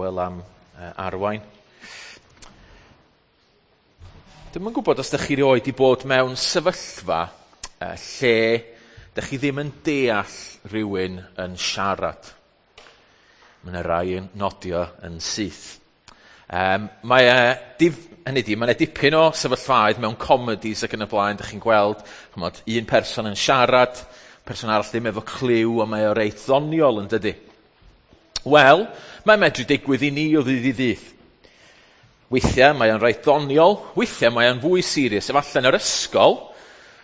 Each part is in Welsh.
Wel am arwain. Dwi'm yn gwybod os ydych chi rioed 'di bod mewn sefyllfa lle dych chi ddim yn deall rhywun yn siarad. Mae yna rai yn nodio yn syth. Mae e, dif, hynny ydi, mae yna dipyn o sefyllfaoedd mewn comedies ac yn y blaen, dych chi'n gweld, ch'mod, un person yn siarad, person arall ddim efo cliw, a mae o reit ddoniol yn dydi? Wel, mae'n medru digwydd i ni o ddydd i ddydd. Weithiau mae o'n reit ddoniol, weithiau mae o'n fwy serious. Efallai yn yr ysgol,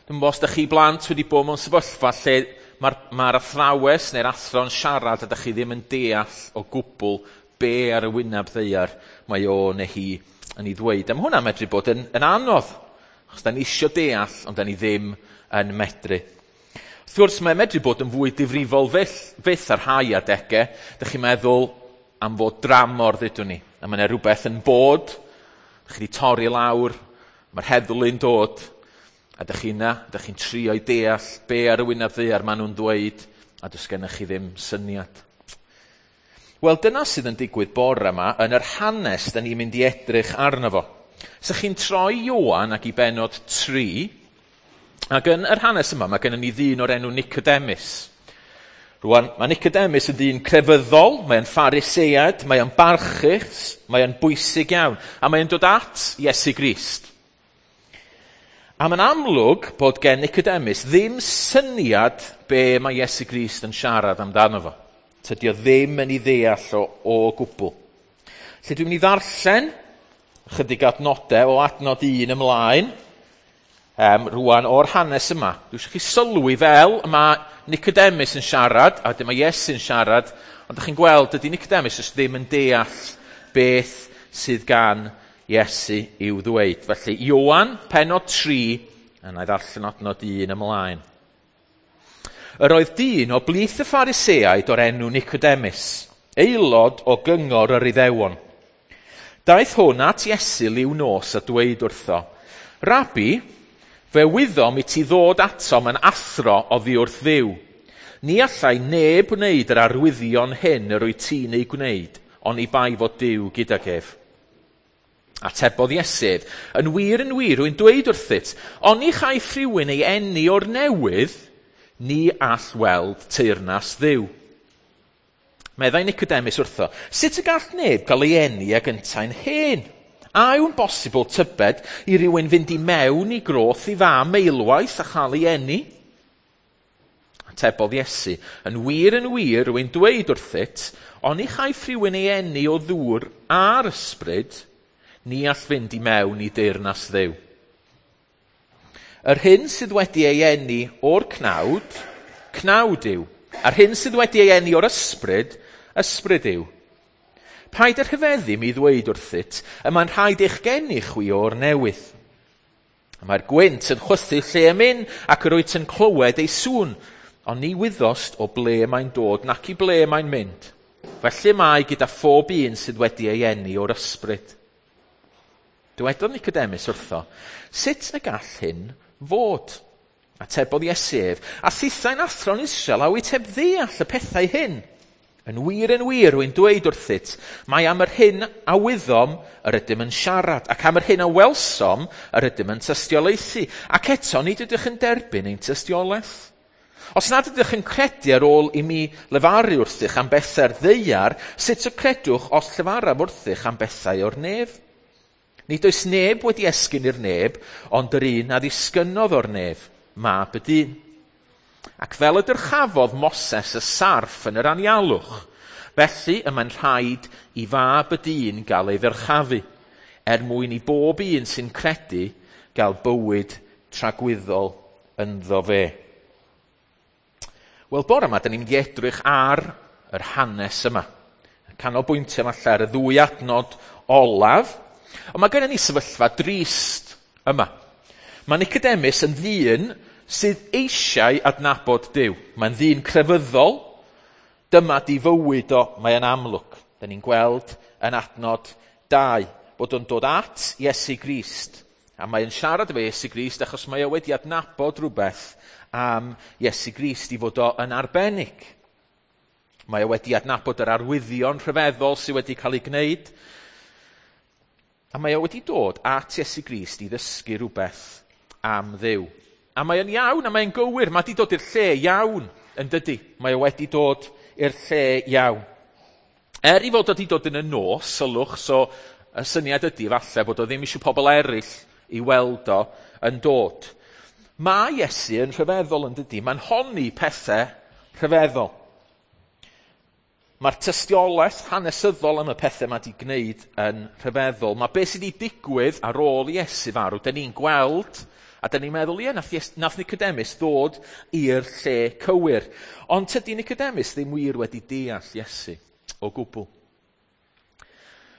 dwi'n gwybod os ydych chi blant wedi bod mewn sefyllfa lle mae'r ma athrawes neu'r athro'n siarad a ydych chi ddim yn deall o gwbl be ar y wyneb ddaear mae o neu hi yn ei ddweud. A mae hwnna'n medru bod yn, yn anodd, achos da ni isio deall, ond da ni ddim yn medru. Wrth gwrs, mae'n medru bod yn fwy difrifol fyth, fyth ar rhai adegau. Dych chi'n meddwl am fod dramor, ddudwn ni. A mae yna rhywbeth yn bod, dych chi wedi torri lawr, mae'r heddlu'n dod, a dych chi yna, dych chi'n trio i deall be ar y wyneb ddaear maen nhw'n dweud, a does gennych chi ddim syniad. Wel, dyna sydd yn digwydd bore yma yn yr hanes da ni'n mynd i edrych arno fo. So chi'n troi Ioan ac i benod 3, ac yn yr hanes yma mae gennym ni ddyn o'r enw Nicodemus. Rwan, mae Nicodemus yn ddyn crefyddol, mae'n pharisead, mae'n barchus, mae'n bwysig iawn, a mae'n dod at Iesu Grist. A mae'n amlwg bod gen Nicodemus ddim syniad be mae Iesu Grist yn siarad amdano fo. Tydi o ddim yn ei ddeall o, o gwbl. Felly dwi'n mynd i ddarllen chydig adnodau o adnod 1 ymlaen, rwan o'r hanes yma. Dwi eisiau chi sylwi fel mae Nicodemus yn siarad, a dyma Iesu'n siarad, ond ydych chi'n gweld dydy Nicodemus jyst ddim yn deall beth sydd gan Iesu i'w ddweud. Felly, Ioan, penod 3, a na i ddarllen adnod 1 ymlaen. Yr oedd dyn o blith y Phariseaid o'r enw Nicodemus, aelod o gyngor yr Iddewon. Daeth hwn at Iesu liw nos a dweud wrtho, Rabi, fe wyddom i ti ddod atom yn athro oddi wrth Dduw. Ni allai neb wneud yr arwyddion hyn yr wyt ti'n ei gwneud, oni bai fod Duw gydag ef. Atebodd Iesu ef, yn wir yn wir, rwy'n dweud wrthyt, oni chaiff rhywun ei eni o'r newydd, ni all weld teyrnas Dduw. Meddai Nicodemus wrtho, sut y gall neb gael ei eni ag yntau'n hen? A yw'n bosibl tybed i rywun fynd i mewn i groth i fam eilwaith a chael ei eni? Atebodd Iesu, yn wir yn wir, rwy'n dweud wrthyt, oni chaiff rhywun ei eni o ddŵr a'r ysbryd, ni all fynd i mewn i deyrnas Dduw. Yr hyn sydd wedi ei eni o'r cnawd, cnawd yw. A'r hyn sydd wedi ei eni o'r ysbryd, ysbryd yw. Paid â rhyfeddu mi ddweud wrthyt, y mae'n rhaid eich geni chwi o'r newydd. Mae'r gwynt yn chwythu lle y myn, ac yr wyt yn clywed ei sŵn, ond ni wyddost o ble mae'n dod nac i ble mae'n mynd. Felly mae gyda phob un sydd wedi ei eni o'r ysbryd. Dywedodd Nicodemus wrtho, sut y gall hyn fod? Atebodd Iesu ef, a thithau'n athro'n Israel, a wyt heb ddeall y pethau hyn? Yn wir yn wir, rwy'n dweud wrthyt, mae am yr hyn a wyddom yr ydym yn siarad, ac am yr hyn a welsom yr ydym yn tystiolaethu, ac eto nid ydych yn derbyn ein tystiolaeth. Os nad ydych yn credu ar ôl i mi lefaru wrthych am bethau'r ddaear, sut y credwch os llefaraf wrthych am bethau o'r nef? Nid oes neb wedi esgyn i'r neb, ond yr un a ddisgynnodd o'r nef, mab y dyn. Ac fel y dyrchafodd Moses y sarff yn yr anialwch, felly y mae'n rhaid i fab y dyn gael ei ddyrchafu, er mwyn i bob un sy'n credu gael bywyd tragwyddol ynddo fe. Wel, bore yma, da ni'n mynd i edrych ar yr hanes yma. Canolbwyntio falle ar y ddwy adnod olaf, ond mae gennym ni sefyllfa drist yma. Mae Nicodemus yn ddyn sydd eisiau adnabod Duw. Mae'n ddyn crefyddol, dyma di fywyd o, mae'n amlwg. Da ni'n gweld yn adnod 2, bod o'n dod at Iesu Grist. A mae'n siarad efo Iesu Grist achos mae o wedi adnabod rhywbeth am Iesu Grist i fod o yn arbennig. Mae o wedi adnabod yr arwyddion rhyfeddol sydd wedi cael ei gwneud. A mae o wedi dod at Iesu Grist i ddysgu rhywbeth am Dduw. A mae o'n iawn, a mae'n gywir. Mae wedi dod i'r lle iawn, yn dydy. Mae o wedi dod i'r lle iawn. Er i fod wedi dod yn y nos, sylwch, so y syniad ydy falle bod o ddim eisiau pobl eraill i weld o yn dod. Mae Iesu yn rhyfeddol yn dydy. Mae'n honni pethau rhyfeddol. Mae'r tystiolaeth hanesyddol am y pethau mae wedi gwneud yn rhyfeddol. Mae beth sydd wedi digwydd ar ôl Iesu farw, dyn ni'n gweld, a dyn ni'n meddwl, ie, nath Nicodemus ddod i'r lle cywir. Ond tydi Nicodemus ddim wir wedi deall Iesu o gwbl.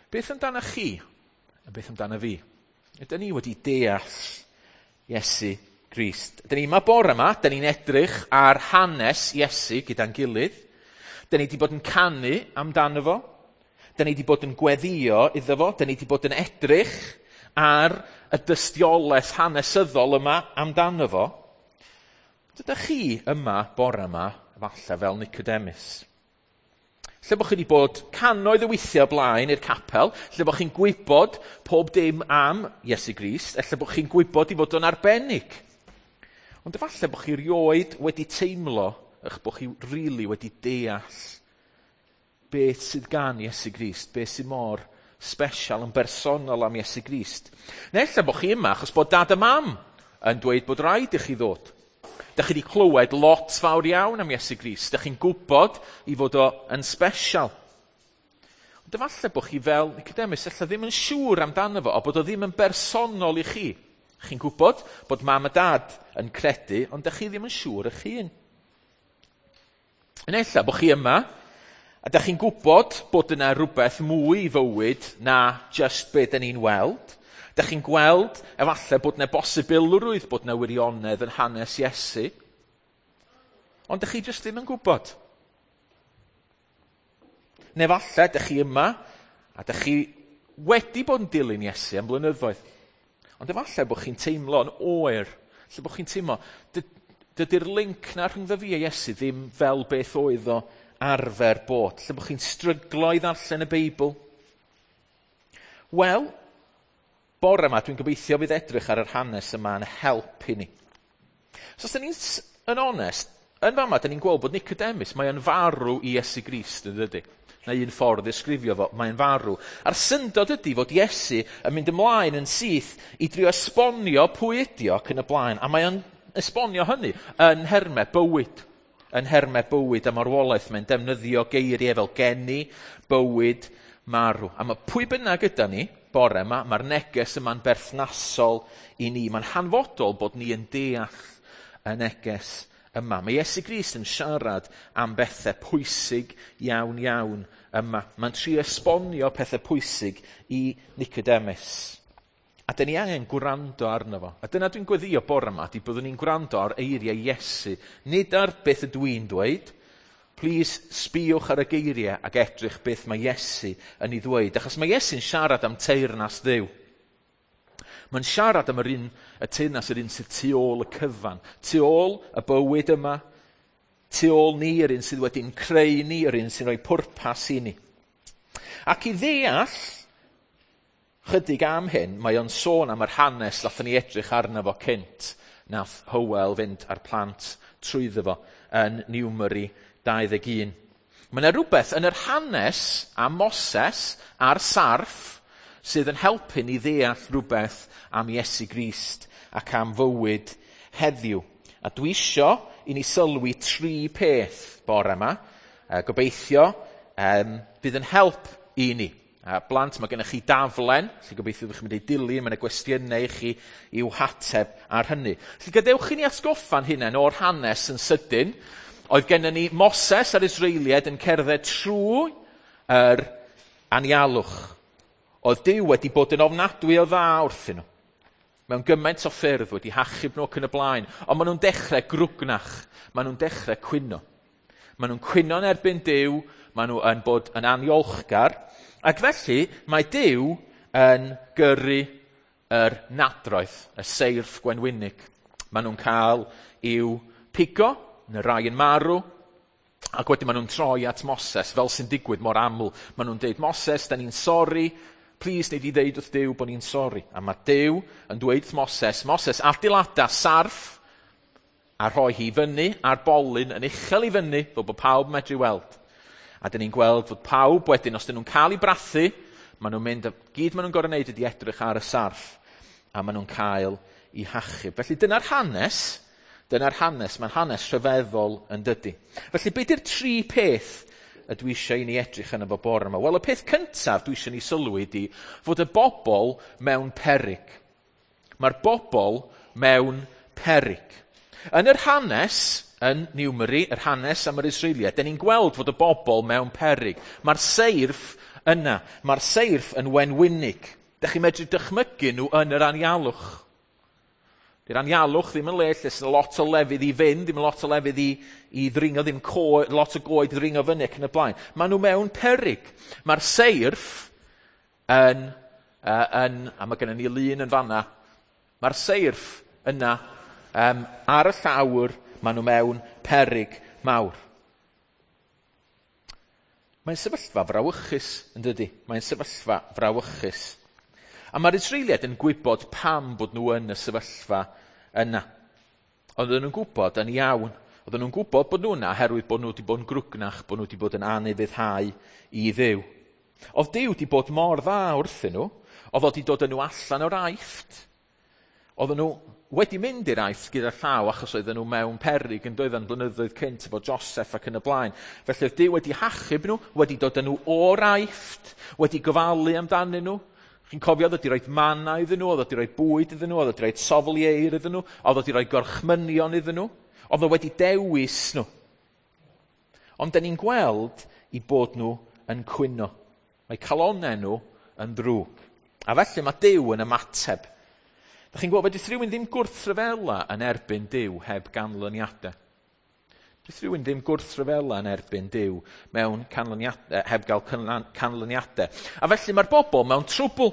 Beth amdano chi? A beth amdano fi? Ydyn ni wedi deall Iesu Grist? Dyn ni yma bore yma, dyn ni'n edrych ar hanes Iesu gyda'n gilydd. Dyn ni wedi bod yn canu amdano fo. Dyn ni wedi bod yn gweddio iddo fo. Dyn ni wedi bod yn edrych ar y dystiolaeth hanesyddol yma amdano fo. Dydych chi yma bore yma, falle fel Nicodemus? Lle bod chi wedi bod cannoedd o weithiau o blaen i'r capel, lle bod chi'n gwybod pob dim am Iesu Grist, lle bod chi'n gwybod i fod o'n arbennig. Ond efallai bod chi rioed wedi teimlo eich bod chi rili wedi deall beth sydd gan Iesu Grist, beth sydd mor special yn bersonol am Iesu Grist. Neu ella bod chi yma achos bod dad a mam yn dweud bod rhaid i chi ddod. Dych chi wedi clywed lot fawr iawn am Iesu Grist. Dych chi'n gwybod i fod o yn special. Ond efallai bod chi fel Nicodemus, ella ddim yn siŵr amdano fo, o bod o ddim yn bersonol i chi. Chi'n gwybod bod mam a dad yn credu, ond dych chi ddim yn siŵr eich hun. Yn ella bod chi yma, a dych chi'n gwybod bod yna rhywbeth mwy i fywyd na just be dyn ni'n weld. Dych chi'n gweld efallai bod yna bosibilrwydd bod yna wirionedd yn hanes Iesu. Ond dych chi jyst ddim yn gwybod. Neu efallai dych chi yma a dych chi wedi bod yn dilyn Iesu am blynyddoedd. Ond efallai bod chi'n teimlo yn oer. Lle bod chi'n teimlo, dydy'r link na rhyngddo fi a Iesu ddim fel beth oedd o arfer bod. Lle bod chi'n stryglo i ddarllen y Beibl. Wel, bore yma dwi'n gobeithio fydd edrych ar yr hanes yma yn help i ni. So os dyn ni'n yn onest, yn fama dyn ni'n gweld bod Nicodemus, mae o'n farw i Iesu Grist, yn dydy? Na un ffordd ddisgrifio fo, mae'n farw. A'r syndod ydy fod Iesu yn mynd ymlaen yn syth i drio esbonio pwy ydi o ac yn y blaen. A mae o'n esbonio hynny yn nhermau bywyd. Yn nhermau bywyd a marwolaeth. Mae'n defnyddio geiriau fel geni, bywyd, marw. A mae pwy bynnag yda ni, bore yma, mae'r neges yma'n berthnasol i ni. Mae'n hanfodol bod ni yn deall y neges yma. Mae Iesu Grist yn siarad am bethau pwysig iawn iawn yma. Mae'n trio esbonio pethau pwysig i Nicodemus. A dyn ni angen gwrando arno fo. A dyna dwi'n gweddio bore yma, di byddwn ni'n gwrando ar eiriau Iesu. Nid ar beth ydw i'n dweud. Please, sbïwch ar y geiriau ac edrych beth mae Iesu yn ei ddweud. Achos mae Iesu'n siarad am teyrnas Dduw. Mae'n siarad am y teyrnas yr un sydd tu ôl y cyfan. Tu ôl y bywyd yma, tu ôl ni, yr un sydd wedi'n creu ni, yr un sy'n rhoi pwrpas i ni. Ac i ddeall chydig am hyn, mae o'n sôn am yr hanes nathon ni edrych arno fo cynt. Nath Hywel fynd â'r plant trwyddo fo yn Numeri 21. Mae yna rhywbeth yn yr hanes am Moses a'r sarff sydd yn helpu ni ddeall rhywbeth am Iesu Grist ac am fywyd heddiw. A dwi isio i ni sylwi tri peth bore yma. Gobeithio bydd yn help i ni. A blant, mae gennych chi daflen, felly gobeithio ydych chi'n mynd i dilyn, mae yna gwestiynau i chi i'w hateb ar hynny. Felly gadewch i ni atgoffa'n hunain o'r hanes yn sydyn. Oedd gennym ni Moses a'r Israeliaid yn cerdded trwy yr anialwch. Oedd Duw wedi bod yn ofnadwy o dda wrthyn nhw. Mewn gymaint o ffyrdd wedi hachub nhw ac yn y blaen. Ond maen nhw'n dechrau grwgnach. Maen nhw'n dechrau cwyno. Maen nhw'n cwyno yn erbyn Duw. Maen nhw yn bod yn aniolchgar. Ac felly mae Duw yn gyrru yr nadroedd, y seirff gwenwynig. Maen nhw'n cael i'w pigo, neu rai yn marw. Ac wedyn maen nhw'n troi at Moses, fel sy'n digwydd mor aml. Maen nhw'n deud, Moses, da ni'n sori, plis nei di ddeud wrth Duw bod ni'n sori. A mae Duw yn dweud wrth Moses, Moses, adeilada sarff a rhoi hi fyny ar bolyn yn uchel i fyny, fel bod pawb yn medru weld. A dyn ni'n gweld fod pawb wedyn, os dyn nhw'n cael eu brathu, maen nhw'n mynd, gyd maen nhw'n gorfod wneud ydy edrych ar y sarff, a maen nhw'n cael eu hachub. Felly dyna'r hanes, dyna'r hanes, mae'n hanes rhyfeddol yn dydy. Felly be di'r tri peth y dwi eisiau i ni edrych yn efo bore yma? Wel, y peth cyntaf dwi eisiau ni sylwi ydy fod y bobl mewn peryg. Mae'r bobl mewn peryg. Yn yr hanes, yn Niwmeri, yr hanes am yr Israeliaid, dyn ni'n gweld fod y bobl mewn peryg. Mae'r seirff yna. Mae'r seirff yn wenwynig. Dych chi'n medru dychmygu nhw yn yr anialwch. Dy'r anialwch ddim yn le lle sy'n lot o lefydd i fynd, ddim yn lot o lefydd i ddringo, ddim lot o goed i ddringo fyny ac yn y blaen. Maen nhw mewn peryg. Mae'r seirff yn, a mae gennym ni lun yn fanna, mae'r seirff yna ar y llawr, maen nhw mewn peryg mawr. Mae'n sefyllfa frawychus, yn dydy? Mae'n sefyllfa frawychus. A mae'r Israeliaid yn gwybod pam bod nhw yn y sefyllfa yna. Oedden nhw'n gwybod yn iawn. Oedden nhw'n gwybod bod nhw yna oherwydd bod nhw wedi bod yn grwgnach, bod nhw wedi bod yn anufuddhau i Dduw. Oedd Duw wedi bod mor dda wrthyn nhw, oedd o wedi dod â nhw allan o'r Aifft. Oedden nhw wedi mynd i'r Aifft gyda llaw achos oedden nhw mewn peryg yn doedden blynyddoedd cynt efo Joseph ac yn y blaen. Felly oedd Duw wedi hachub nhw, wedi dod â nhw o'r Aifft, wedi gofalu amdanyn nhw. Chi'n cofio, oedd wedi rhoi manna iddyn nhw, oedd wedi rhoi bwyd iddyn nhw, oedd wedi rhoi sofl ieir iddyn nhw, oedd wedi rhoi gorchmynion iddyn nhw, oedd o wedi dewis nhw. Ond da ni'n gweld i bod nhw yn cwyno. Mae calonnau nhw yn ddrwg. A felly mae Duw yn ymateb. Da chi'n gwybod, fedrith rhywun ddim gwrthryfela yn erbyn Duw heb ganlyniadau. Fedrith rhywun ddim gwrthryfela yn erbyn Duw mewn canlyniadau, heb gael canlyniadau. A felly mae'r bobl mewn trwbl.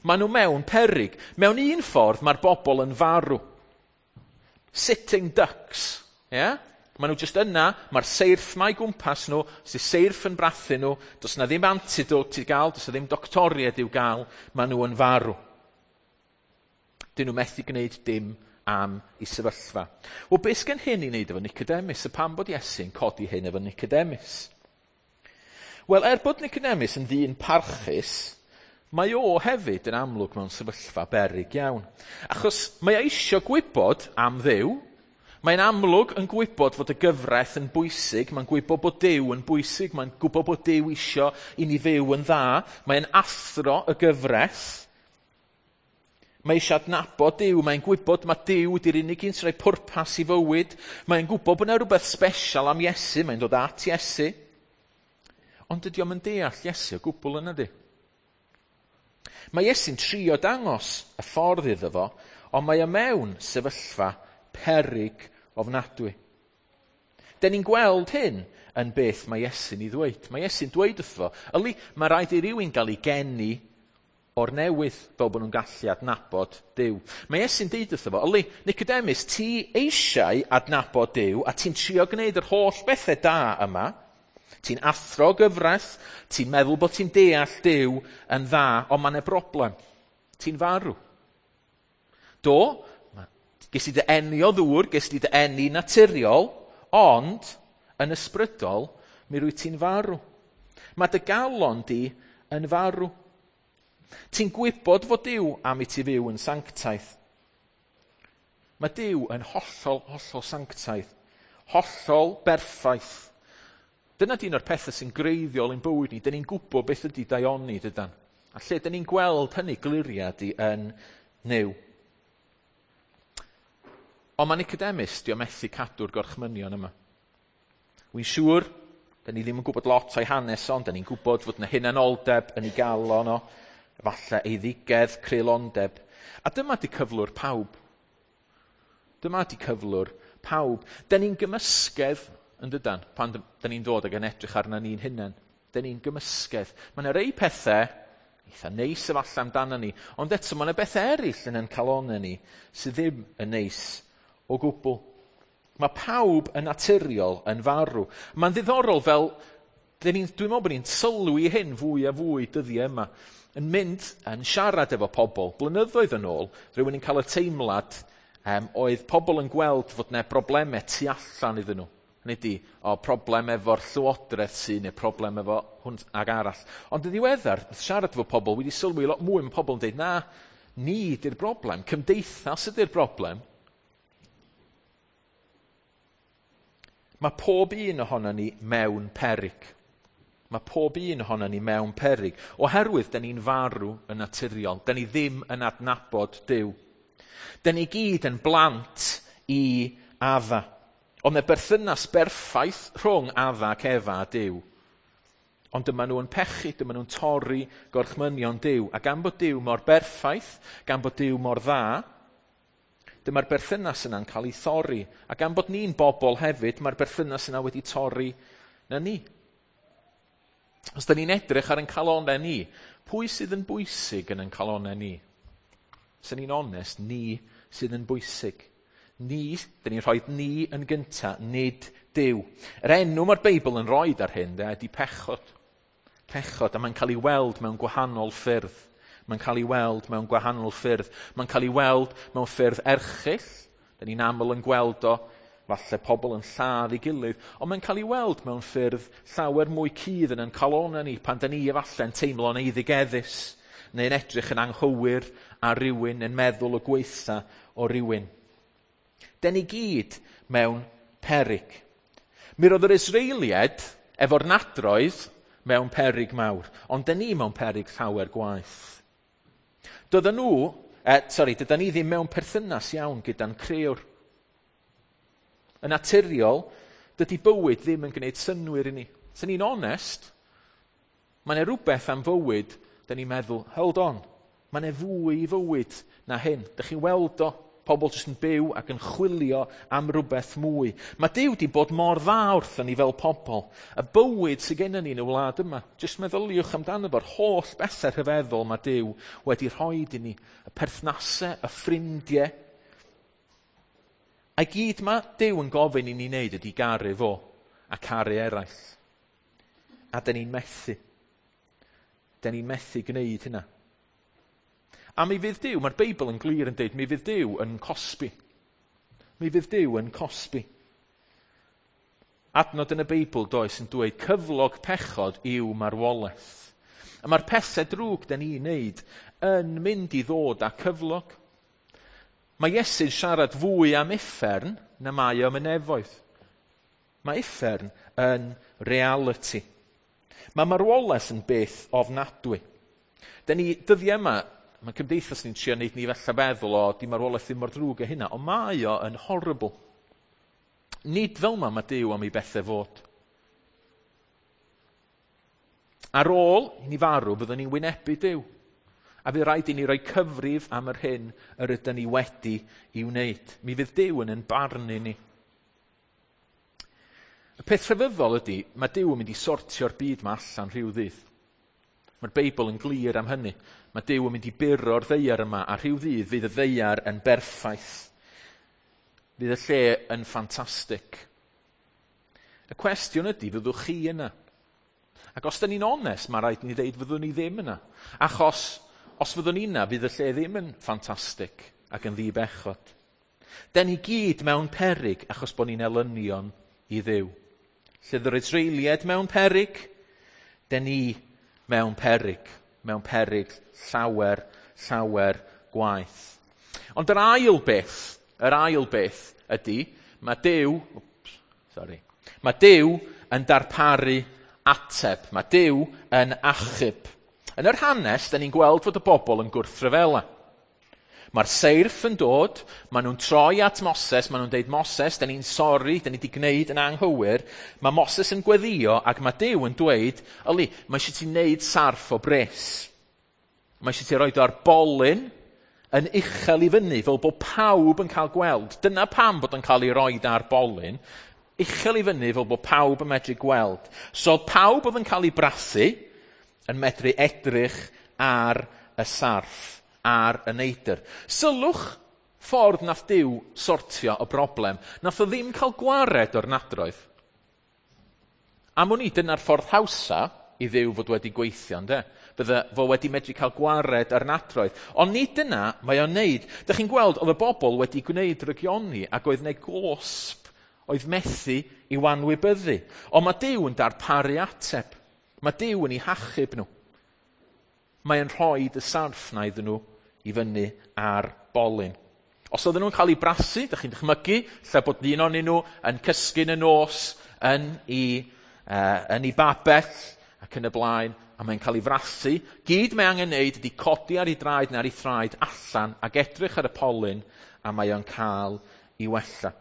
Maen nhw mewn peryg. Mewn un ffordd mae'r bobl yn farw. Sitting ducks. Yeah? Maen nhw jyst yna, mae'r seirff 'ma i gwmpas nhw, sy'n seirff yn brathu nhw, does na ddim antidote i gael, does na ddim doctoriaid i'w gael, maen nhw yn farw. Dyn nhw methu gwneud dim am i sefyllfa. Wel, beth sgen hyn i wneud efo Nicodemus? A pam bod Iesu'n codi hyn efo Nicodemus? Wel, er bod Nicodemus yn ddyn parchus, mae o hefyd yn amlwg mewn sefyllfa beryg iawn. Achos mae o eisiau gwybod am Dduw. Mae'n amlwg yn gwybod fod y gyfraith yn bwysig, mae'n gwybod bod Duw yn bwysig, mae'n gwybod bod Duw isio i ni fyw yn dda, mae'n athro y gyfraith. Mae eisiau adnabod Duw, mae'n gwybod mae Duw ydy'r unig un sy'n rhoi pwrpas i fywyd. Mae'n gwybod bod yna rhywbeth special am Iesu, mae'n dod at Iesu. Ond dydy o'm yn deall Iesu o gwbl yna di. Mae Iesu'n trio dangos y ffordd iddo fo, ond mae o mewn sefyllfa peryg ofnadwy. Den ni'n gweld hyn yn beth mae Iesu'n ei ddweud. Mae Iesu'n dweud wrtho fo, yli, mae rhaid i rywun gael ei geni o'r newydd fel bod nhw'n gallu adnabod Duw. Mae Iesu'n deud wrtho fo, yli, Nicodemus, ti eisiau adnabod Duw a ti'n trio gwneud yr holl bethau da yma, ti'n athro gyfraith, ti'n meddwl bod ti'n deall Duw yn dda, ond mae 'na broblem. Ti'n farw. Do, ges i dy eni o ddŵr, ges i dy eni naturiol, ond yn ysbrydol, mi rwy ti'n farw. Mae dy galon di yn farw. Ti'n gwybod fod Duw am i ti fyw yn sanctaidd. Mae Duw yn hollol, hollol sanctaidd. Hollol berffaith. Dyna di un o'r pethau sy'n greiddiol i'n bywyd ni. Dyn ni'n gwybod beth ydy daioni, dydan. A lle dyn ni'n gweld hynny gliriad i yn Nuw. Ond mae Nicodemus, di o methu cadw'r gorchmynion yma. Wy'n siŵr, dyn ni ddim yn gwybod lot o'i hanes ond dyn ni'n gwybod fod yna hunanoldeb yn ei galon o, falle eiddigedd, creulondeb. A dyma di cyflwr pawb. Dyma di cyflwr pawb. Dyn ni'n gymysgedd, yn dydan, pan dyn ni'n dod ag yn edrych arna ni'n hunain. Dyn ni'n gymysgedd. Mae yna rei pethau eitha neis efallai amdano ni, ond eto mae yna bethau eraill yn ein calonnau ni sydd ddim yn neis o gwbl. Mae pawb yn naturiol yn farw. Mae'n ddiddorol fel, dwi'n meddwl bod ni'n sylwi hyn fwy a fwy dyddiau yma, yn mynd yn siarad efo pobl. Blynyddoedd yn ôl, rhywun yn cael y teimlad oedd pobl yn gweld fod yna broblemau tu allan iddyn nhw. Hynny ydi, o problem efo'r llywodraeth sy'n, neu problem efo hwn ag arall. Ond yn ddiweddar, wrth siarad efo pobl, wedi sylwi lot mwy mae pobl yn dweud, na, ni di'r broblem, cymdeithas ydy'r broblem. Mae pob un ohono ni mewn peryg. Mae pob un ohono ni mewn peryg. Oherwydd, da ni'n farw yn naturiol. Da ni ddim yn adnabod Duw. Da ni gyd yn blant i Adda. Ond y berthynas berffaith rhwng Adda ac Efa a Duw. Ond dyma nhw yn pechu, dyma nhw'n torri gorchmynion Duw. A gan bod Duw mor berffaith, gan bod Duw mor dda, dyma'r berthynas yna'n cael ei thorri. A gan bod ni'n bobl hefyd, mae'r berthynas yna wedi torri na ni. Os da ni'n edrych ar ein calonau ni, pwy sydd yn bwysig yn ein calonau ni? Os ni'n onest, ni sydd yn bwysig. Ni, da ni'n rhoi ni yn gynta, nid Duw. Yr enw mae'r Beibl yn rhoi ar hyn, de, ydy pechod. Pechod, a mae'n cael ei weld mewn gwahanol ffyrdd. Mae'n cael ei weld mewn gwahanol ffyrdd. Mae'n cael ei weld mewn ffyrdd erchyll. Da ni'n aml yn gweld o, falle pobl yn lladd ei gilydd, ond mae'n cael ei weld mewn ffyrdd llawer mwy cudd yn ein calonau ni, pan da ni efallai'n teimlo'n eiddigeddus, neu'n edrych yn anghywir ar rywun, yn meddwl y gwaetha o rywun. Da ni gyd mewn peryg. Mi roedd yr Israeliaid efo'r nadroedd mewn peryg mawr, ond da ni mewn peryg llawer gwaeth. Doedden nhw, dydan ni ddim mewn perthynas iawn gyda'n crëwr. Yn naturiol, dydy bywyd ddim yn gwneud synnwyr i ni. Os ni'n onest, mae yna rhywbeth am fywyd, da ni'n meddwl, hold on, mae yna fwy i fywyd na hyn. Dych chi'n weld o, pobl jyst yn byw ac yn chwilio am rhywbeth mwy. Mae Duw wedi bod mor dda wrthon ni fel pobl. Y bywyd sydd gennym ni yn y wlad yma, jyst meddyliwch amdano fo'r holl bethau rhyfeddol mae Duw wedi rhoi i ni. Y perthnasau, y ffrindiau. A gyd mae Duw yn gofyn i ni wneud ydy garu fo a caru eraill. A dyn ni'n methu. Dyn ni'n methu gwneud hynna. A mi fydd Duw, mae'r Beibl yn glir yn dweud, mi fydd Duw yn cosbi. Mi fydd Duw yn cosbi. Adnod yn y Beibl does yn dweud cyflog pechod yw marwolaeth. A mae'r pethau drwg dyn ni'n wneud yn mynd i ddod â cyflog. Mae Iesu'n siarad fwy am uffern na mae o am y nefoedd. Mae uffern yn reality. Mae marwolaeth yn beth ofnadwy. Dyn ni dyddiau yma, mae cymdeithas ni'n trio wneud ni falle feddwl o, di marwolaeth ddim mor ddrwg â hynna, ond mae o yn horrible. Nid fel ma mae Duw am ei bethau fod. Ar ôl i ni farw, byddwn ni'n wynebu Duw. A fydd rhaid i ni roi cyfrif am yr hyn yr ydyn ni wedi i wneud. Mi fydd Duw yn barnu ni. Y peth rhyfeddol ydy, mae Duw yn mynd i sortio'r byd ma allan rhyw ddydd. Mae'r Beibl yn glir am hynny. Mae Duw yn mynd i buro'r ddaear yma, a rhyw ddydd fydd y ddaear yn berffaith. Fydd y lle yn ffantastig. Y cwestiwn ydy, fyddwch chi yna? Ac os da ni'n onest, mae rhaid ni ddeud fyddwn ni ddim yna. Achos os fyddwn ni yna, fydd y lle ddim yn ffantastig ac yn ddibechod. Da ni gyd mewn peryg achos bod ni'n elynion i Dduw. Lle yr Israeliaid mewn peryg, da ni mewn peryg llawer, llawer gwaeth. Ond yr ail beth ydy, mae Duw yn darparu ateb. Mae Duw yn achub. Yn yr hanes, da ni'n gweld fod y bobl yn gwrthryfela. Mae'r seirff yn dod, maen nhw'n troi at Moses, maen nhw'n deud, Moses, da ni'n sori, da ni wedi gwneud yn anghywir. Mae Moses yn gweddio ac mae Duw yn dweud, yli, mae eisiau ti wneud sarff o bres. Mae eisiau ti roed o ar bolyn yn uchel i fyny, fel bod pawb yn cael gweld. Dyna pam bod yn cael ei roed ar bolyn, uchel i fyny fel bod pawb yn medru gweld. So pawb oedd yn cael ei brathu yn medru edrych ar y sarff, ar y neidr. Sylwch Ffordd nath Duw sortio y broblem. Nath o ddim cael gwared o'r nadroedd. Am wn i, dyna'r ffordd hawsa i Dduw fod wedi gweithio, ynde? Bydde fo wedi medru cael gwared ar nadroedd. Ond nid dyna mae o'n neud. Dych chi'n gweld, oedd y bobl wedi gwneud rygioni ac oedd 'na gosb oedd methu i wanwybyddu. Ond mae Duw yn darparu ateb. Mae Duw yn eu hachub nhw. Mae yn rhoi y sarff 'na iddyn nhw i fyny ar bolyn. Os oedden nhw'n cael eu brasu, dych chi'n dychmygu, lle bod un ohonyn nhw yn cysgu yn y nos yn ei babell ac yn y blaen, a mae'n cael ei frasu. Gyd mae angen wneud ydy codi ar ei draed neu ar ei thraed allan ac edrych ar y polyn, a mae o'n cael ei wella.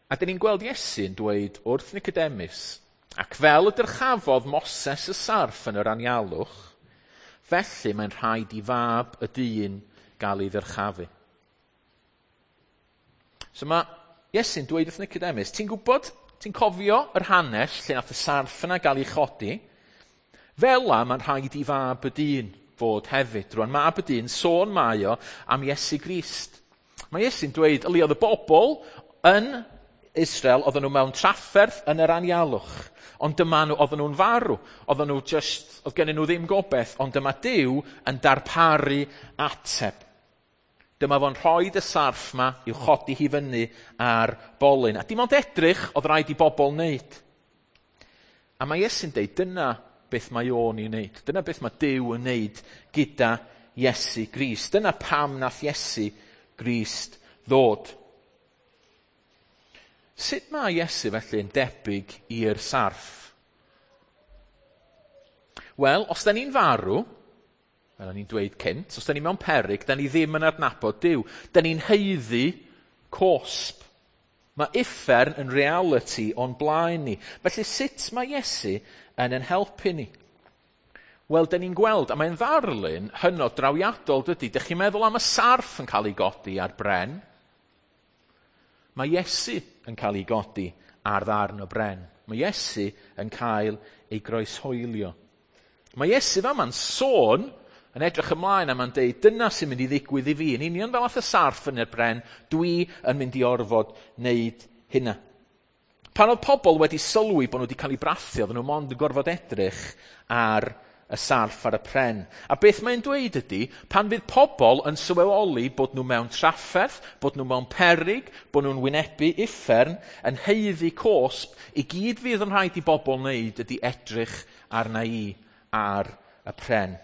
A dyn ni'n gweld Iesu'n dweud wrth Nicodemus, ac fel y dyrchafodd Moses y sarff yn yr anialwch, felly mae'n rhaid i fab y dyn gael ei ddyrchafu. So mae Iesu'n dweud wrth Nicodemus, ti'n gwybod, ti'n cofio yr hanes lle nath y sarff yna gael ei chodi? Fel la mae'n rhaid i fab y dyn fod hefyd. Rwan, mab y dyn, sôn mae o am Iesu Grist. Mae Iesu'n dweud, yli oedd y bobl yn Israel, oedden nhw mewn trafferth yn yr anialwch. Ond dyma nhw, oedden nhw'n farw. Oedden nhw just, oedd gennyn nhw ddim gobeith, ond dyma Duw yn darparu ateb. Dyma fo'n rhoi y sarff ma i'w chodi hi fyny ar bolyn. A dim ond edrych oedd rhaid i bobl wneud. A mae Iesu'n deud, dyna beth mae o'n ei wneud. Dyna beth mae Duw yn wneud gyda Iesu Grist. Dyna pam nath Iesu Grist ddod. Sut mae Iesu felly yn debyg i'r sarff? Wel, os da ni'n farw, fel o'n i'n dweud cynt, os da ni mewn peryg, da ni ddim yn adnabod Duw. Da ni'n haeddu cosb. Mae uffern yn reality o'n blaen ni. Felly sut mae Iesu yn ein helpu ni? Wel, da ni'n gweld, a mae'n ddarlun hynod drawiadol, dydy. Dych chi'n meddwl am y sarff yn cael ei godi ar bren? Mae Iesu yn cael ei godi ar ddarn o bren. Mae Iesu yn cael ei groeshoelio. Mae Iesu fama'n sôn yn edrych ymlaen a mae'n deud, dyna sy'n mynd i ddigwydd i fi. Yn union fel ath y sarff yn y bren, dwi yn mynd i orfod wneud hynna. Pan oedd pobl wedi sylwi bod nhw wedi cael eu brathu, oedden nhw mond yn gorfod edrych ar y sarff ar y pren. A beth mae'n dweud ydy, pan fydd pobl yn sylweddoli bod nhw mewn trafferth, bod nhw mewn peryg, bod nhw'n wynebu uffern, yn haeddu cosb, i gyd fydd yn rhaid i bobl wneud ydy edrych arna i ar y pren.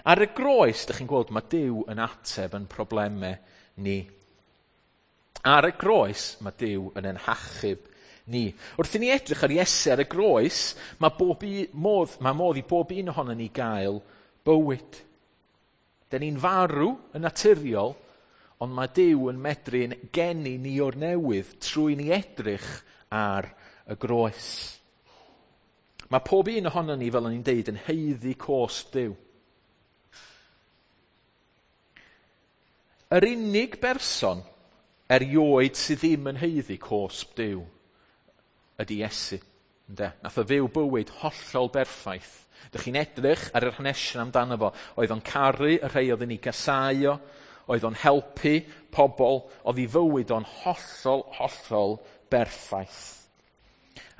Ar y groes, dych chi'n gweld, mae Duw yn ateb yn problemau ni. Ar y groes, mae Duw yn ein hachub ni. Wrth i ni edrych ar Iesu ar y groes, mae modd i bob un ohonon ni gael bywyd. Dyn ni'n farw yn naturiol, ond mae Duw yn medru'n geni ni o'r newydd trwy ni edrych ar y groes. Mae pob un ohonon ni, fel o'n i'n deud, yn haeddu cosb Duw. Yr unig berson erioed sydd ddim yn haeddu cosb Duw ydy Iesu. Ynde? Nath o fyw bywyd hollol berffaith. Dych chi'n edrych ar yr hanesion amdano fo. Oedd o'n caru y rhai oedd yn ei gasáu o, oedd o'n helpu pobl, oedd ei fywyd o'n hollol, hollol berffaith.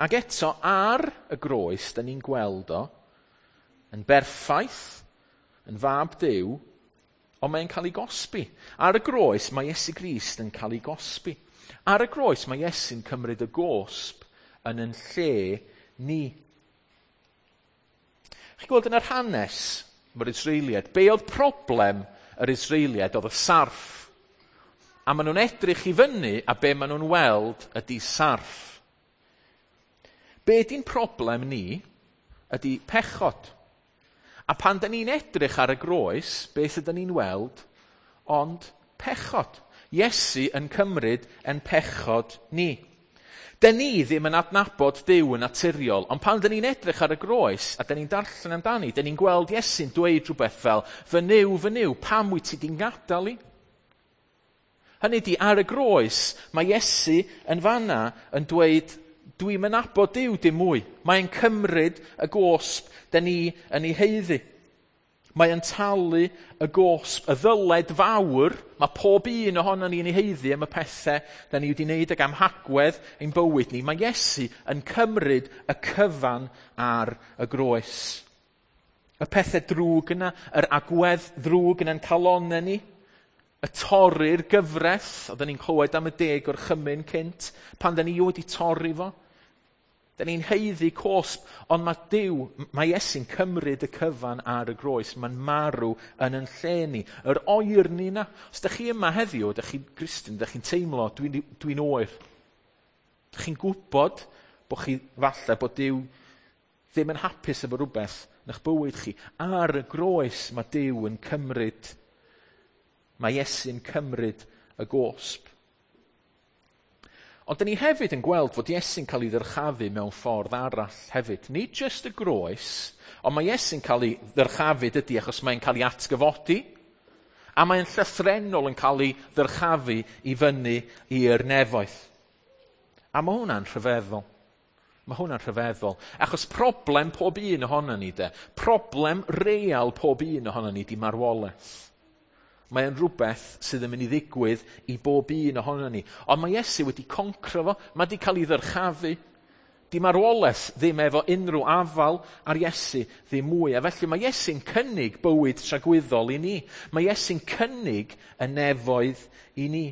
Ac eto, ar y groes, da ni'n gweld o, yn berffaith, yn fab Duw, ond mae'n cael ei gosbi. Ar y groes, mae Iesu Grist yn cael ei gosbi. Ar y groes, mae Iesu'n cymryd y gosb yn yn lle ni. Chi'n gweld yn yr hanes mae'r Israeliaid, be oedd problem yr Israeliaid oedd y sarff. A maen nhw'n edrych i fyny a be maen nhw'n weld ydy sarff. Be di'n problem ni ydy pechod. A pan da ni'n edrych ar y groes, beth ydyn ni'n weld? Ond pechod. Iesu yn cymryd yn pechod ni. Dyn ni ddim yn adnabod Duw yn naturiol, ond pan dyn ni'n edrych ar y groes a dyn ni'n darllen amdani, dyn ni'n gweld Iesu'n dweud rhywbeth fel, fy Nuw, pam wyt ti di'n gadael i? Hynny di, ar y groes, mae Iesu yn fanna yn dweud, dwi'n mynabod Duw dim mwy. Mae'n cymryd y gosb dyn ni yn ei haeddu. Mae yn talu y gosb, y ddyled fawr, mae pob un ohono ni'n ei haeddu am y pethau da ni wedi wneud ag am hagwedd ein bywyd ni. Mae Iesu yn cymryd y cyfan ar y groes. Y pethau drwg yna, yr agwedd ddrwg yna'n calonnau ni, y torri'r gyfraith, oedden ni'n clywed am y 10 gorchymyn cynt, pan da ni wedi torri fo. Da ni'n haeddu cosb, ond mae Duw, mae Iesu'n cymryd y cyfan ar y groes. Mae'n marw yn yn lle ni. Yr oerni 'na. Os da chi yma heddiw, da chi'n Gristion, da chi'n teimlo, dwi'n oer. Da chi'n gwybod bod chi falle bod Duw ddim yn hapus efo rhywbeth yn eich bywyd chi. Ar y groes mae Duw yn cymryd, mae Iesu'n cymryd y gosb. Ond dyn ni hefyd yn gweld fod Iesu'n cael ei ddyrchafu mewn ffordd arall hefyd. Nid jyst y groes, ond mae Iesu'n cael ei ddyrchafu dydy achos mae'n cael ei atgyfodi, a mae'n llythrennol yn cael ei ddyrchafu i fyny i'r nefoedd. A mae hwnna'n rhyfeddol. Mae hwnna'n rhyfeddol. Achos problem pob un ohono ni de, problem real pob un ohono ni di marwolaeth. Mae'n rhywbeth sydd yn mynd i ddigwydd i bob un ohono ni. Ond mae Iesu wedi concro fo, mae wedi cael ei ddyrchafu. Di marwolaeth ddim efo unrhyw afal ar Iesu ddim mwy. A felly mae Iesu'n cynnig bywyd tragwyddol i ni. Mae Iesu'n cynnig y nefoedd i ni.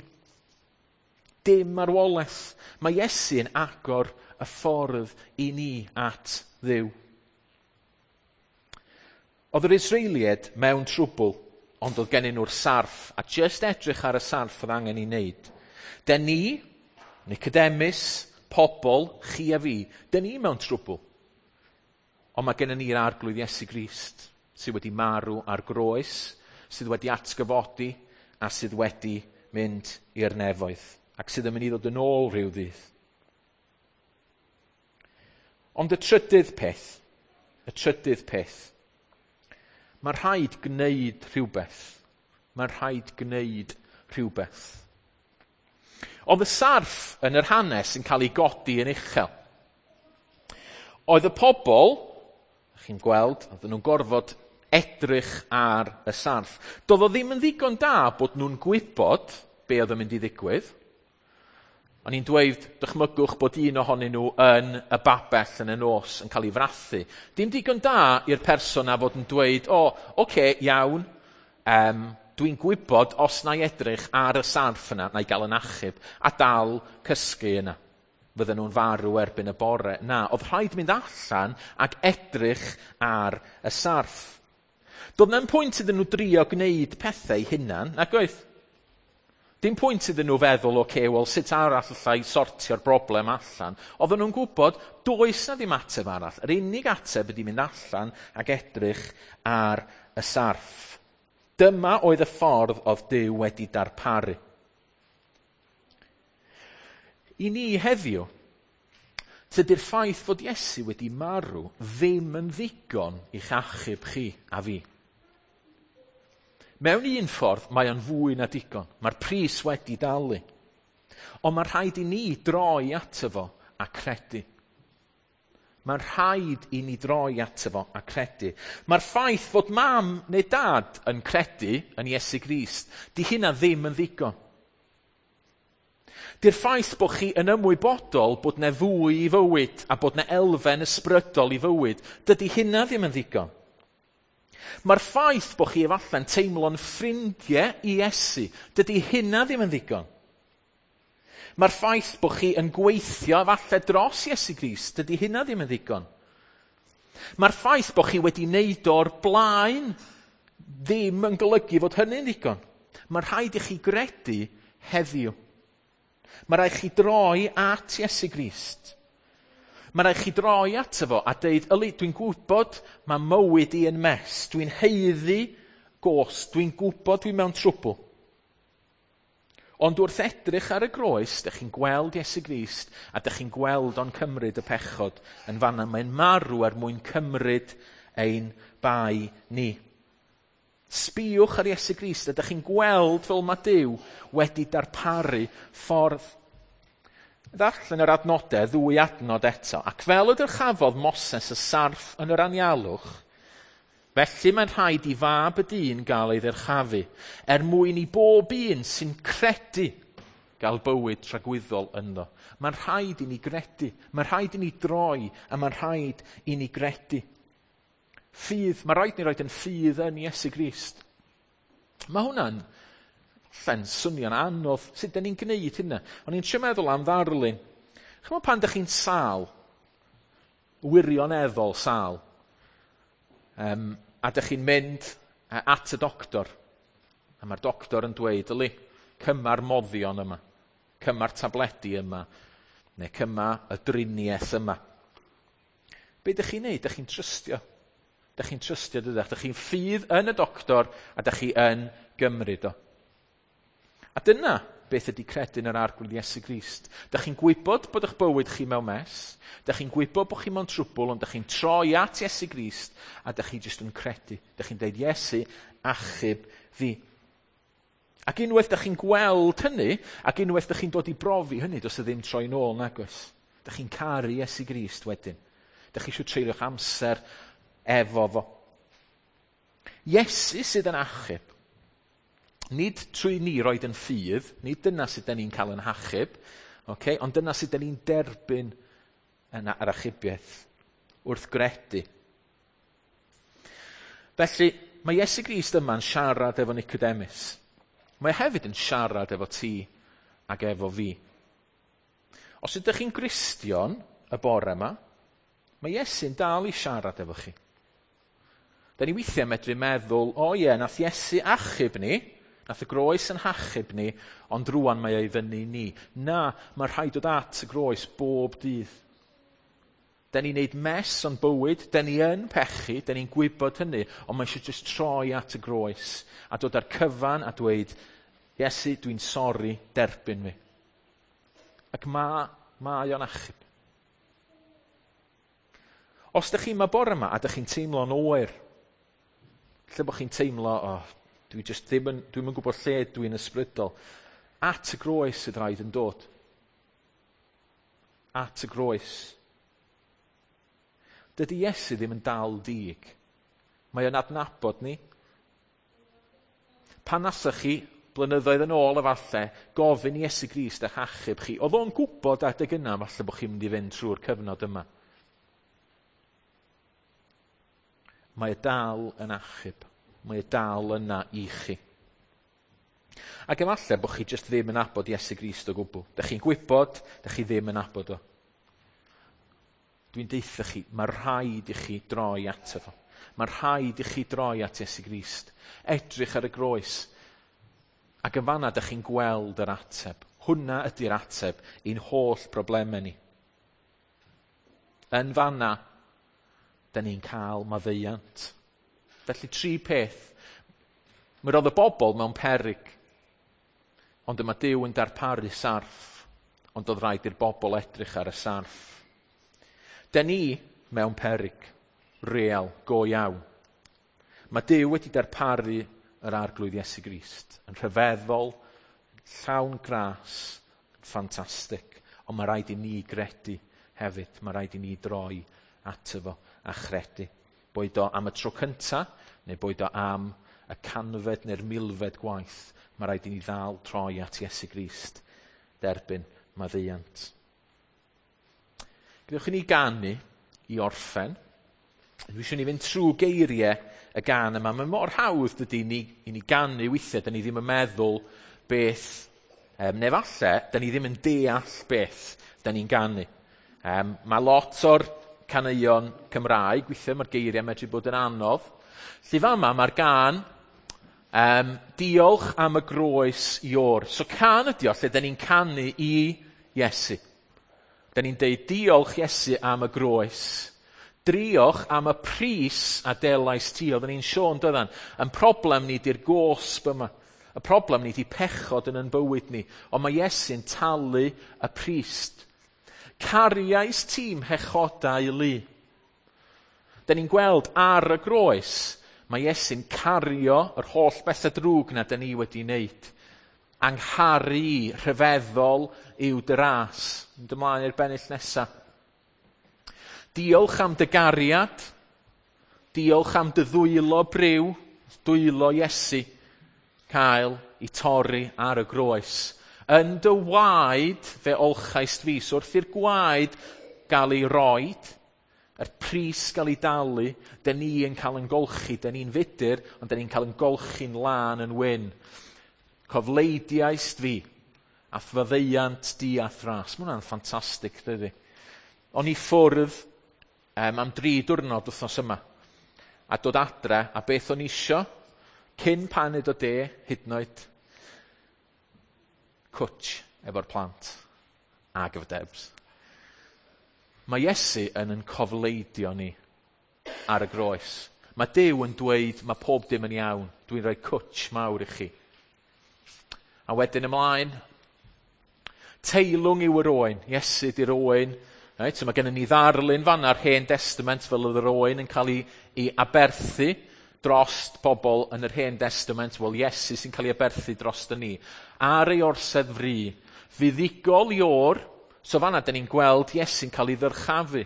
Dim marwolaeth. Mae Iesu'n agor y ffordd i ni at Dduw. Oedd yr Israeliaid mewn trwbl, ond oedd gennyn nhw'r sarff, a jyst edrych ar y sarff oedd angen ei wneud. Den ni, Nicodemus, pobl, chi a fi, den ni mewn trwbl. Ond mae gennyn ni'r Arglwydd Iesu Grist, sydd wedi marw ar groes, sydd wedi atgyfodi, a sydd wedi mynd i'r nefoedd, ac sydd yn mynd i ddod yn ôl rhyw ddydd. Ond y trydydd peth, mae rhaid gwneud rhywbeth. Mae rhaid gwneud rhywbeth. Oedd y sarff yn yr hanes yn cael ei godi yn uchel. Oedd y pobl, chi'n gweld, oedden nhw'n gorfod edrych ar y sarff. Doedd o ddim yn ddigon da bod nhw'n gwybod be oedd yn mynd i ddigwydd. O'n i'n dweud, dychmygwch bod un ohonyn nhw yn y babell yn y nos yn cael ei frathu. Dim digon da i'r person a fod yn dweud, o, oce, iawn, dwi'n gwybod os na i edrych ar y sarff yna, na i gael yn achub, a dal cysgu yna. Fydden nhw'n farw erbyn y bore. Na, oedd rhaid mynd allan ac edrych ar y sarff. Doedd na'm pwynt iddyn nhw drio gwneud pethau hunan, nag oedd? Dim pwynt iddyn nhw feddwl, oce, wel, sut arall allai sortio'r broblem allan? Oedden nhw'n gwybod, does na ddim ateb arall. Yr unig ateb ydy mynd allan ac edrych ar y sarff. Dyma oedd y ffordd oedd Duw wedi darparu. I ni heddiw, tydi'r ffaith fod Iesu wedi marw ddim yn ddigon i'ch achub chi a fi. Mewn un ffordd, mae o'n fwy na digon. Mae'r pris wedi dalu. Ond mae rhaid i ni droi ato fo a credu. Mae'n rhaid i ni droi ato fo a credu. Mae'r ffaith fod mam neu dad yn credu yn Iesu Grist, di hynna ddim yn ddigon. Di'r ffaith bod chi yn ymwybodol bod 'na fwy i fywyd a bod 'na elfen ysbrydol i fywyd, dydy hynna ddim yn ddigon. Mae'r ffaith bod chi efallai'n teimlo'n ffrindiau i Iesu, dydy hynna ddim yn ddigon. Mae'r ffaith bod chi yn gweithio efallai dros Iesu Grist, dydy hynna ddim yn ddigon. Mae'r ffaith bod chi wedi wneud o'r blaen ddim yn golygu fod hynny'n ddigon. Mae rhaid i chi gredu heddiw. Mae rhaid chi droi at Iesu Grist. Mae rhaid chi droi ato fo a deud, yli, dwi'n gwybod mae mywyd i yn mess, dwi'n haeddu gosb, dwi'n gwybod dwi'n mewn trwbl. Ond wrth edrych ar y groes, dych chi'n gweld Iesu Grist a dych chi'n gweld o'n cymryd y pechod yn fanna. Mae'n marw er mwyn cymryd ein bai ni. Sbïwch ar Iesu Grist a dych chi'n gweld fel mae Duw wedi darparu ffordd. Ddarllen yr adnodau, ddwy adnod eto. Ac fel y dyrchafodd Moses y sarff yn yr anialwch, Felly mae'n rhaid i Fab y Dyn gael ei ddyrchafu, er mwyn i bob un sy'n credu gael bywyd tragwyddol ynddo. Mae'n rhaid i ni gredu, mae'n rhaid i ni droi, a mae'n rhaid i ni gredu. Ffydd, mae rhaid ni roed yn ffydd yn Iesu Grist. Mae hwnna'n lle'n swnio'n anodd. Sut da ni'n gwneud hynna? O'n i'n trio meddwl am ddarlun. Chymod pan dych chi'n sâl, wirioneddol sâl, a dych chi'n mynd at y doctor, a mae'r doctor yn dweud, yli, cyma'r moddion yma, cyma'r tabledi yma, neu cyma y driniaeth yma. Be dych chi'n neud? Dych chi'n trystio. Dych chi'n trystio, dydych? Dych chi'n ffydd yn y doctor, a dych chi yn gymryd o. A dyna beth ydy credu yn yr Arglwydd Iesu Grist. Dych chi'n gwybod bod eich bywyd chi mewn mess, dych chi'n gwybod bod chi mewn trwbl, ond dych chi'n troi at Iesu Grist, a dych chi jyst yn credu. Dych chi'n dweud, Iesu, achub fi. Ac unwaith dych chi'n gweld hynny, ac unwaith dych chi'n dod i brofi hynny, does e ddim troi nôl nagos. Dych chi'n caru Iesu Grist wedyn. Dych chi eisiau treulio'ch amser efo fo. Iesu sydd yn achub. Nid trwy ni roed yn ffydd, nid dyna sydd da ni'n cael yn hachub, okay? Ond dyna sydd da ni'n derbyn yn yr achubiaeth, wrth gredu. Felly, mae Iesu Grist yma'n siarad efo Nicodemus. Mae hefyd yn siarad efo ti ac efo fi. Os ydych chi'n Gristion y bore yma, mae Iesu'n dal i siarad efo chi. Da ni weithiau medru meddwl, o ie, nath Iesu achub ni, nath y groes yn hachub ni, ond rwan mae o'i fyny ni. Na, mae rhaid dod at y groes bob dydd. Da ni'n neud mess o'n bywyd, da ni yn pechu, da ni'n gwybod hynny, ond mae eisiau just troi at y groes a dod ar cyfan a dweud, Iesu, dwi'n sori, derbyn fi. Ac mae o'n achub. Os ydych chi'n ma bore yma a ydych chi'n teimlo'n oer, lle bod chi'n teimlo, oh, dwi just ddim yn, dwi'm yn gwybod lle dwi'n ysbrydol, at y groes sydd rhaid yn dod. At y groes. Dydy Iesu ddim yn dal dig. Mae o'n adnabod ni. Pan nasoch chi, blynyddoedd yn ôl efallai, gofyn i Iesu Grist eich achub chi. Oedd o'n gwybod adeg yna falle bod chi'n mynd i fynd trwy'r cyfnod yma. Mae y dal yn achub. Mae y dal yna i chi. Ac efallai bod chi jyst ddim yn nabod Iesu Grist o gwbl. Dych chi'n gwybod, dych chi ddim yn nabod o. Dwi'n deutha chi, mae rhaid i chi droi ato fo. Mae rhaid i chi droi at Iesu Grist. Edrych ar y groes. Ac yn fanna dych chi'n gweld yr ateb. Hwna ydy'r ateb i'n holl broblemau ni. Yn fanna, da ni'n cael maddeuant. Felly tri peth. Mi roedd y bobl mewn peryg. Ond yma Duw yn darparu sarff. Ond oedd rhaid i'r bobl edrych ar y sarff. Da ni mewn peryg, real, go iawn. Mae Duw wedi darparu yr Arglwydd Iesu Grist yn rhyfeddol, llawn gras, yn ffantastig. Ond mae rhaid i ni gredu hefyd. Mae rhaid i ni droi ato fo a chredu. Boed o am y tro cynta, neu boed o am y canfed neu'r milfed gwaith, mae rhaid i ni ddal troi at Iesu Grist, derbyn maddeuant. Gadewch i ni ganu i orffen. Dwi eisiau ni fynd trwy geiriau y gan yma. Mae mor hawdd dydy i ni ganu weithiau, da ni ddim yn meddwl beth, neu falle, da ni ddim yn deall beth da ni'n ganu. Mae lot o'r caneuon Cymraeg, weithiau mae'r geiriau medru bod yn anodd. Lly fama mae'r gan diolch am y groes Ior. So can ydi o lle da ni'n canu i Iesu. Da ni'n deud diolch Iesu am y groes. Diolch am y pris a delais ti. Oedden ni'n sôn doeddan. Yn problem ni di'r gosb yma. Y problem ni di pechod yn bywyd ni. Ond mae Iesu'n talu y pris. Cariais tîm hechodau lu. Da ni'n gweld ar y groes, mae Iesu'n cario yr holl bethau drwg na da ni wedi wneud. Angharu rhyfeddol yw dy ras. Mynd ymlaen i'r bennill nesaf. Diolch am dy gariad. Diolch am dy ddwylo briw, dwylo Iesu, cael i torri ar y groes. Yn dy waed fe olchaist fi. So wrth i'r gwaed gael ei roed, yr pris gael ei dalu, dyn ni yn cael yn golchi, dyn ni'n fudur, ond dyn ni'n cael yn golchi'n lân yn wyn. Cofleidiaist fi, a faddeuant di a thras. Mae hwnna'n ffantastig, dydy. O'n i ffwrdd am 3 diwrnod wythnos yma, a dod adre, a beth o'n isio, cyn paned o de, hyd yn oed, cwtch efo'r plant, ag efo Debs. Mae Iesu yn cofleidio ni ar y groes. Mae Duw yn dweud, mae pob dim yn iawn, dwi'n rhoi cwtch mawr i chi. A wedyn ymlaen, teilwng yw yr oen, Iesu di'r oen. Right, so mae gennym ni ddarlun fanna'r Hen Testament fel oedd yr oen yn cael ei aberthu dros pobl yn yr Hen Testament. Wel, Iesu sy'n cael ei aberthu dros ni. Ar ei orsedd fri, fuddugol Ior, so fanna dyn ni'n gweld Iesu'n cael ei ddyrchafu.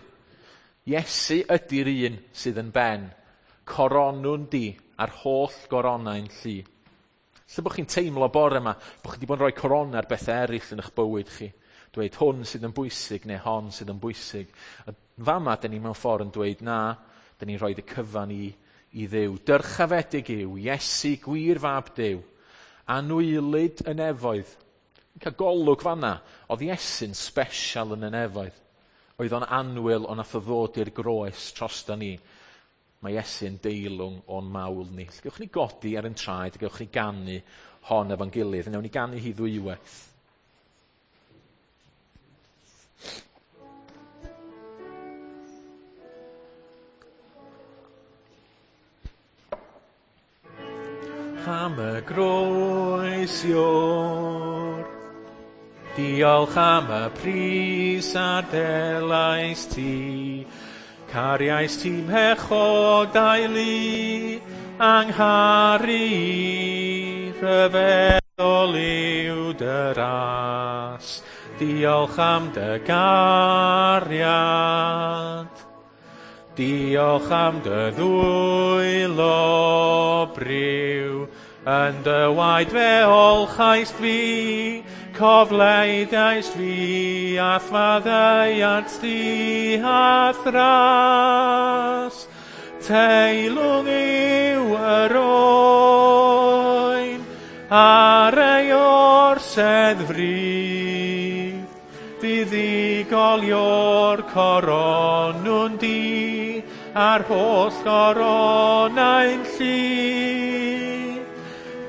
Iesu ydy'r un sydd yn ben. Coronwn di a'r holl goronau'n llu. Lle bod chi'n teimlo bore yma, bod chi wedi bod yn rhoi corona ar bethau eraill yn eich bywyd chi. Dweud hwn sydd yn bwysig neu hon sydd yn bwysig. A fama, dyn ni mewn ffordd yn dweud na, dyn ni'n rhoi y cyfan i Dduw. Dyrchafedig yw Iesu gwir fab Duw, anwylyd y nefoedd. Cael golwg fanna, oedd Iesu'n special yn y nefoedd. Oedd o'n annwyl, ond nath o ddod i'r groes trosta ni. Mae Iesu'n deilwng o'n mawl ni. Gewch ni godi ar ein traed, gewch ni ganu hon efo'n gilydd. Newn ni ganu hi ddwywaith. Am y groes Ior, diolch am y pris a delais ti, cariais ti mhechodau lu, angharu i, rhyfeddol yw dy ras, diolch am dy gariad. Diolch am dy ddwylo briw, yn dy waed fe olchaist fi, cofleidiaist fi, a'th faddeuant di a thras. Teilwng yw yr oen, ar ei orsedd fri, fuddugol yw'r coronwn di, a'r holl goronau'n llu.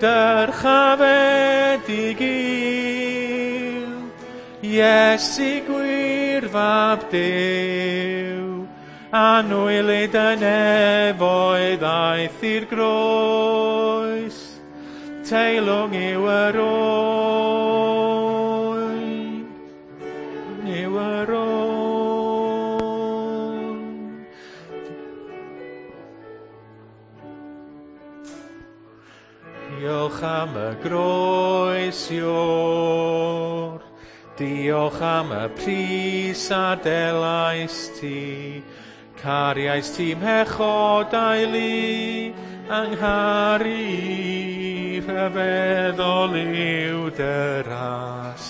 Dyrchafedig yw Iesu gwir fab Duw, anwylyd y nefoedd aeth i'r groes, teilwng yw yr oen, yw yr oen. Diolch am y groes Ior, diolch am y pris a delais ti, cariais ti mhechodau lu, angharu i, rhyfeddol yw dy ras,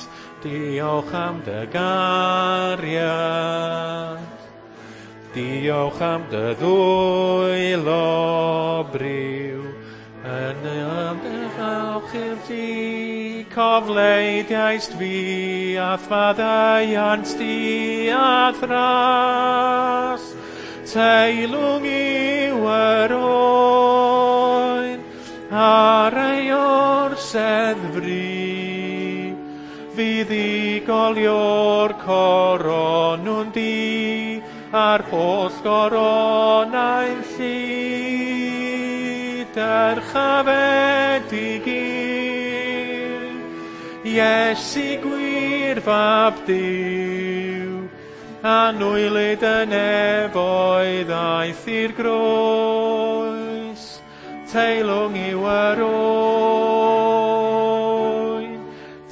diolch am dy gariad. Diolch am dy ddwylo briw, yn y ymddiolch i'r ti, cofleidiaist fi, a'th faddeuant di a thras. Teilwng yw yr oen, ar ei orsedd fri, fuddugol yw'r coronwn di, a'r holl goronau'n llu. Dyrchafedig yw Iesu gwir fab Duw, anwylyd y nefoedd aeth i'r groes, teilwng yw yr oen,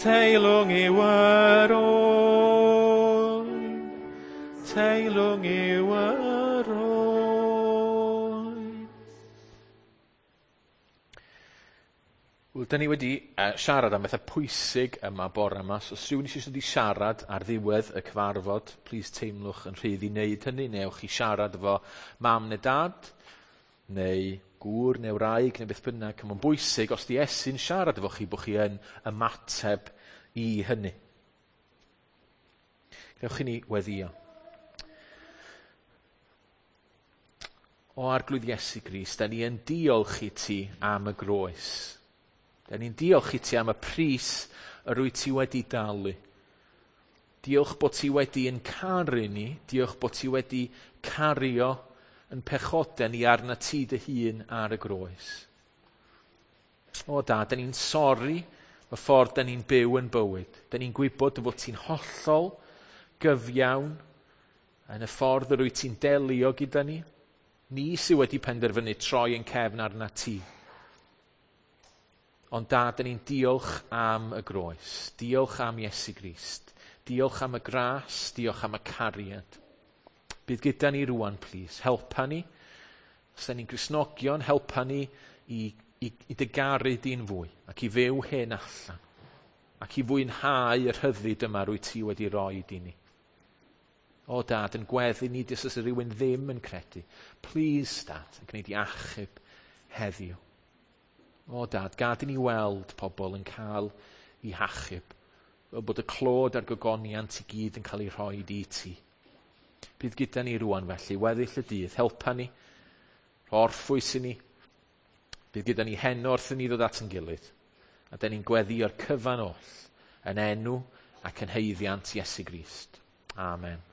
teilwng yw yr oen, teilwng yw yr oen. Wel, da ni wedi siarad am bethau pwysig yma bore yma, so os rhywun eisiau dod i siarad ar ddiwedd y cyfarfod, plis teimlwch yn rhydd i wneud hynny, neu ewch i siarad efo mam neu dad, neu gŵr neu wraig neu beth bynnag. Mae'n bwysig os di Iesu'n siarad efo chi bod chi yn ymateb i hynny. Gewch chi ni weddio. O Arglwydd Iesu Grist, da ni yn diolch i ti am y groes. Da ni'n diolch i ti am y pris yr wyt ti wedi dalu. Diolch bod ti wedi yn caru ni, diolch bod ti wedi cario yn pechodau ni arna ti dy hun ar y groes. O da, da ni'n sori y ffordd da ni'n byw yn bywyd. Da ni'n gwybod dy fod ti'n hollol gyfiawn yn y ffordd yr wyt ti'n delio gyda ni. Ni sydd wedi penderfynu troi yn cefn arna ti. Ond dad, da ni'n diolch am y groes. Diolch am Iesu Grist. Diolch am y gras, diolch am y cariad. Bydd gyda ni rwan, plîs. Helpa ni. Os da ni'n Gristnogion, helpa ni i, i, i dy garu di'n fwy ac i fyw hyn allan ac i fwynhau yr rhyddid yma rwy ti wedi roi i ni. O dad, yn gweddi ni os oes rhywun ddim yn credu. Please, dad, yn gwneud i achub heddiw. O dad, gad i ni weld pobl yn cael eu hachub. Fel bod y clod a'r gogoniant i gyd yn cael ei rhoi i ti. Bydd gyda ni rwan felly, weddill y dydd, helpa ni, orffwys i ni. Bydd gyda ni heno wrth i ni ddod at yn gilydd. A da ni'n gweddio'r cyfan oll yn enw ac yn haeddiant Iesu Grist. Amen.